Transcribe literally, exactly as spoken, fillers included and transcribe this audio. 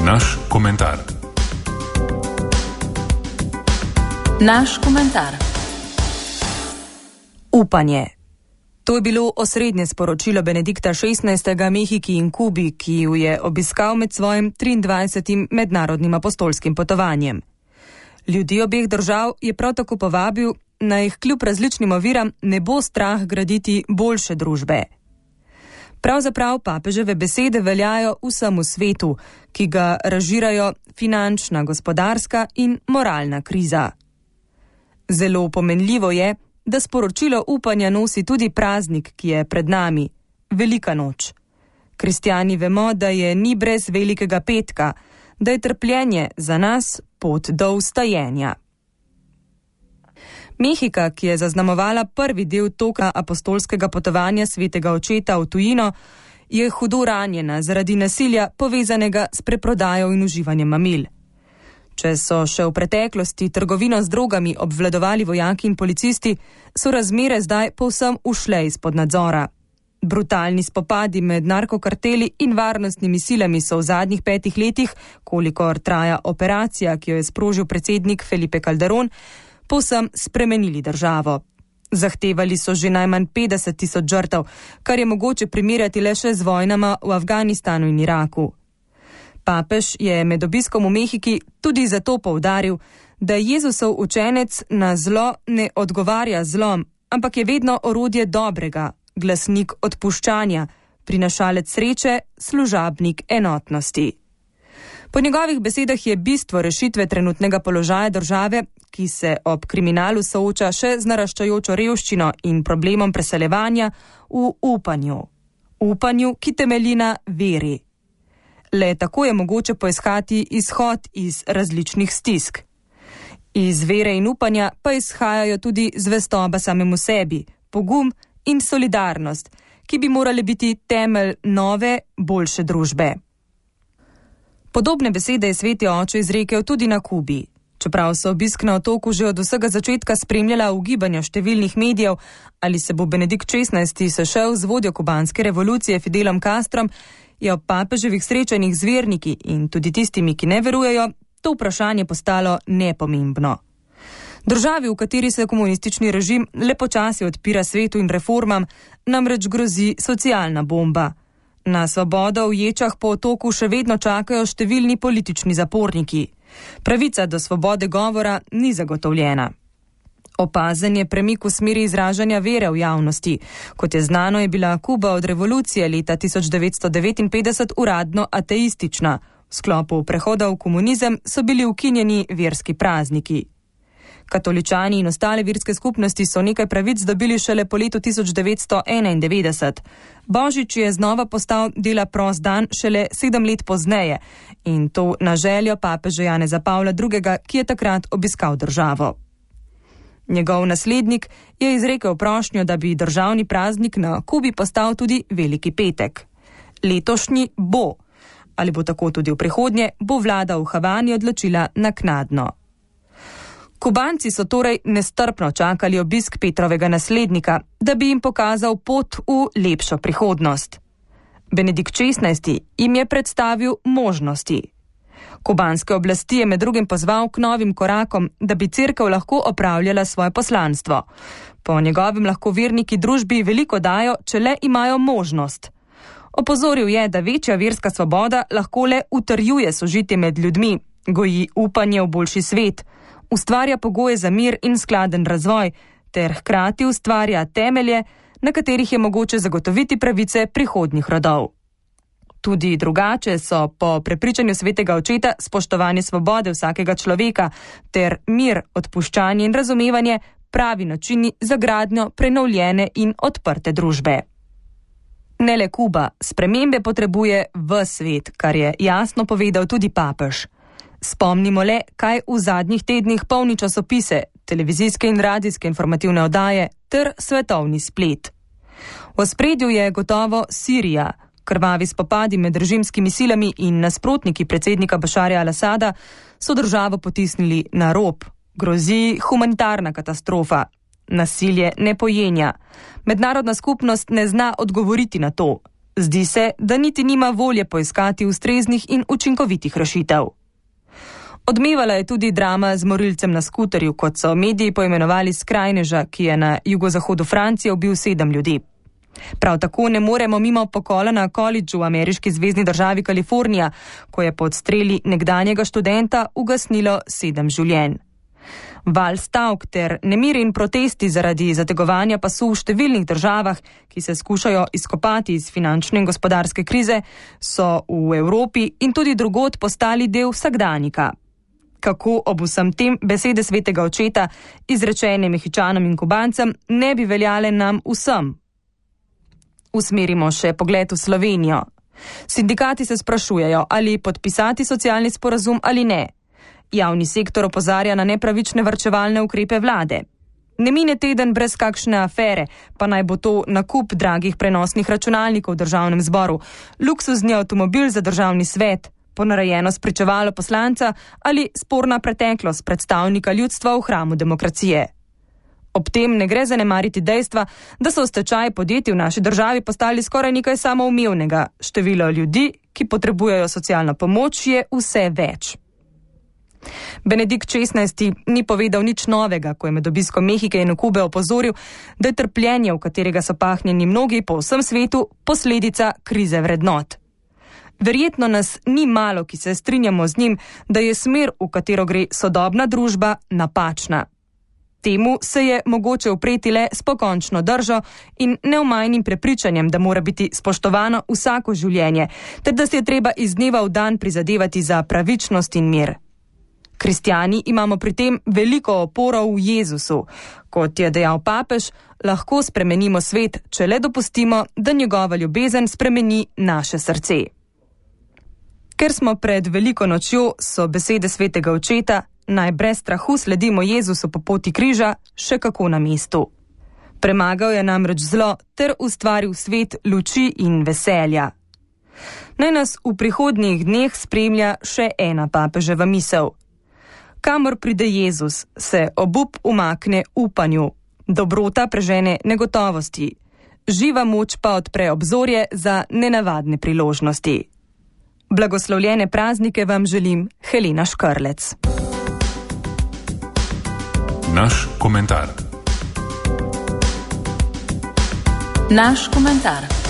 Naš komentar. Naš komentar. Upanje. To je bilo osrednje sporočilo Benedikta šestnajstega Mehiki in Kubi, ki ju je obiskal med svojim triindvajsetim mednarodnim apostolskim potovanjem. Ljudi obeh držav je prav tako povabil, naj jih kljub različnim oviram ne bo strah graditi boljše družbe. Pravzaprav papeževe besede veljajo vsemu svetu, ki ga razžirajo finančna, gospodarska in moralna kriza. Zelo pomenljivo je, da sporočilo upanja nosi tudi praznik, ki je pred nami, Velika noč. Kristjani vemo, da je ni brez velikega petka, da je trpljenje za nas pot do vstajenja. Mehika, ki je zaznamovala prvi del toka apostolskega potovanja svetega očeta v tujino, je hudo ranjena zaradi nasilja povezanega s preprodajo in uživanjem mamil. Če so še v preteklosti trgovino z drogami obvladovali vojaki in policisti, so razmere zdaj povsem ušle izpod nadzora. Brutalni spopadi med narkokarteli in varnostnimi silami so v zadnjih petih letih, kolikor traja operacija, ki jo je sprožil predsednik Felipe Calderón, povsem spremenili državo. Zahtevali so že najmanj petdeset tisoč žrtev, kar je mogoče primerjati le še z vojnama v Afganistanu in Iraku. Papež je med obiskom v Mehiki tudi zato poudaril, da Jezusov učenec na zlo ne odgovarja zlom, ampak je vedno orodje dobrega, glasnik odpuščanja, prinašalec sreče, služabnik enotnosti. Po njegovih besedah je bistvo rešitve trenutnega položaja države, ki se ob kriminalu sooča še z naraščajočo revščino in problemom preseljevanja, v upanju. Upanju, ki temelji na veri. Le tako je mogoče poiskati izhod iz različnih stisk. Iz vere in upanja pa izhajajo tudi zvestoba samemu sebi, pogum in solidarnost, ki bi morali biti temelj nove, boljše družbe. Podobne besede je sveti oče izrekel tudi na Kubi. Čeprav so obisk na otoku že od vsega začetka spremljala ugibanja številnih medijev, ali se bo Benedikt šestnajsti sešel z vodjo kubanske revolucije Fidelom Castrom, je ob papeževih srečanjih z verniki in tudi tistimi, ki ne verujejo, to vprašanje postalo nepomembno. Državi, v kateri se komunistični režim le počasi odpira svetu in reformam, namreč grozi socialna bomba. Na svobodo v ječah po otoku še vedno čakajo številni politični zaporniki. Pravica do svobode govora ni zagotovljena. Opazen je premik v smeri izražanja vere v javnosti. Kot je znano, je bila Kuba od revolucije leta tisoč devetsto devetinpetdeset uradno ateistična. V sklopu prehoda v komunizem so bili ukinjeni verski prazniki. Katoličani in ostale verske skupnosti so nekaj pravic dobili šele po letu tisoč devetsto enaindevetdeset. Božič je znova postal dela prost dan šele sedem let pozneje in to na željo papeža Janeza Pavla drugega, ki je takrat obiskal državo. Njegov naslednik je izrekel prošnjo, da bi državni praznik na Kubi postal tudi Veliki petek. Letošnji bo, ali bo tako tudi v prihodnje, bo vlada v Havani odločila naknadno. Kubanci so torej nestrpno čakali obisk Petrovega naslednika, da bi jim pokazal pot v lepšo prihodnost. Benedikt šestnajsti jim je predstavil možnosti. Kubanske oblasti je med drugim pozval k novim korakom, da bi cerkev lahko opravljala svoje poslanstvo. Po njegovem lahko verniki družbi veliko dajo, če le imajo možnost. Opozoril je, da večja verska svoboda lahko le utrjuje sožitje med ljudmi, goji upanje v boljši svet, ustvarja pogoje za mir in skladen razvoj, ter hkrati ustvarja temelje, na katerih je mogoče zagotoviti pravice prihodnjih rodov. Tudi drugače so po prepričanju svetega očeta spoštovanje svobode vsakega človeka ter mir, odpuščanje in razumevanje pravi načini za gradnjo prenovljene in odprte družbe. Ne le Kuba, spremembe potrebuje ves svet, kar je jasno povedal tudi papež. Spomnimo le, kaj v zadnjih tednih polni časopise, televizijske in radijske informativne oddaje ter svetovni splet. V ospredju je gotovo Sirija. Krvavi spopadi med režimskimi silami in nasprotniki predsednika Bašarja al-Asada so državo potisnili na rob. Grozi humanitarna katastrofa. Nasilje ne pojenja. Mednarodna skupnost ne zna odgovoriti na to. Zdi se, da niti nima volje poiskati ustreznih in učinkovitih rešitev. Odmevala je tudi drama z morilcem na skuterju, kot so mediji poimenovali skrajneža, ki je na jugozahodu Francije ubil sedem ljudi. Prav tako ne moremo mimo pokola na kolidžu v ameriški zvezni državi Kalifornija, ko je pod streli nekdanjega študenta ugasnilo sedem življenj. Val stavk ter nemiri in protesti zaradi zategovanja pasu v številnih državah, ki se skušajo izkopati iz finančne in gospodarske krize, so v Evropi in tudi drugod postali del vsakdanjika. Kako ob vsem tem besede svetega očeta, izrečene Mehičanom in Kubancem, ne bi veljale nam vsem? Usmerimo še pogled v Slovenijo. Sindikati se sprašujejo, ali podpisati socialni sporazum ali ne. Javni sektor opozarja na nepravične varčevalne ukrepe vlade. Ne mine teden brez kakšne afere, pa naj bo to nakup dragih prenosnih računalnikov v državnem zboru, luksuzni avtomobil za državni svet, ponarejeno spričevalo poslanca ali sporna preteklost predstavnika ljudstva v hramu demokracije. Ob tem ne gre zanemariti dejstva, da so stečaji podjetij v naši državi postali skoraj nekaj samoumevnega. Število ljudi, ki potrebujejo socialno pomoč, je vse več. Benedikt šestnajsti ni povedal nič novega, ko je med obiskom Mehike in Kube opozoril, da je trpljenje, v katerega so pahnjeni mnogi po vsem svetu, posledica krize vrednot. Verjetno nas ni malo, ki se strinjamo z njim, da je smer, v katero gre sodobna družba, napačna. Temu se je mogoče upreti le s pokončno držo in neomajnim prepričanjem, da mora biti spoštovano vsako življenje, ter da se je treba iz dneva v dan prizadevati za pravičnost in mir. Kristjani imamo pri tem veliko oporo v Jezusu. Kot je dejal papež, lahko spremenimo svet, če le dopustimo, da njegova ljubezen spremeni naše srce. Ker smo pred veliko nočjo, so besede svetega očeta, naj brez strahu sledimo Jezusu po poti križa, še kako na mestu. Premagal je namreč zlo ter ustvaril svet luči in veselja. Naj nas v prihodnjih dneh spremlja še ena papeževa misel. Kamor pride Jezus, se obup umakne upanju, dobrota prežene negotovosti, živa moč pa odpre obzorje za nenavadne priložnosti. Blagoslovljene praznike vam želim, Helena Škrlec. Naš komentar. Naš komentar.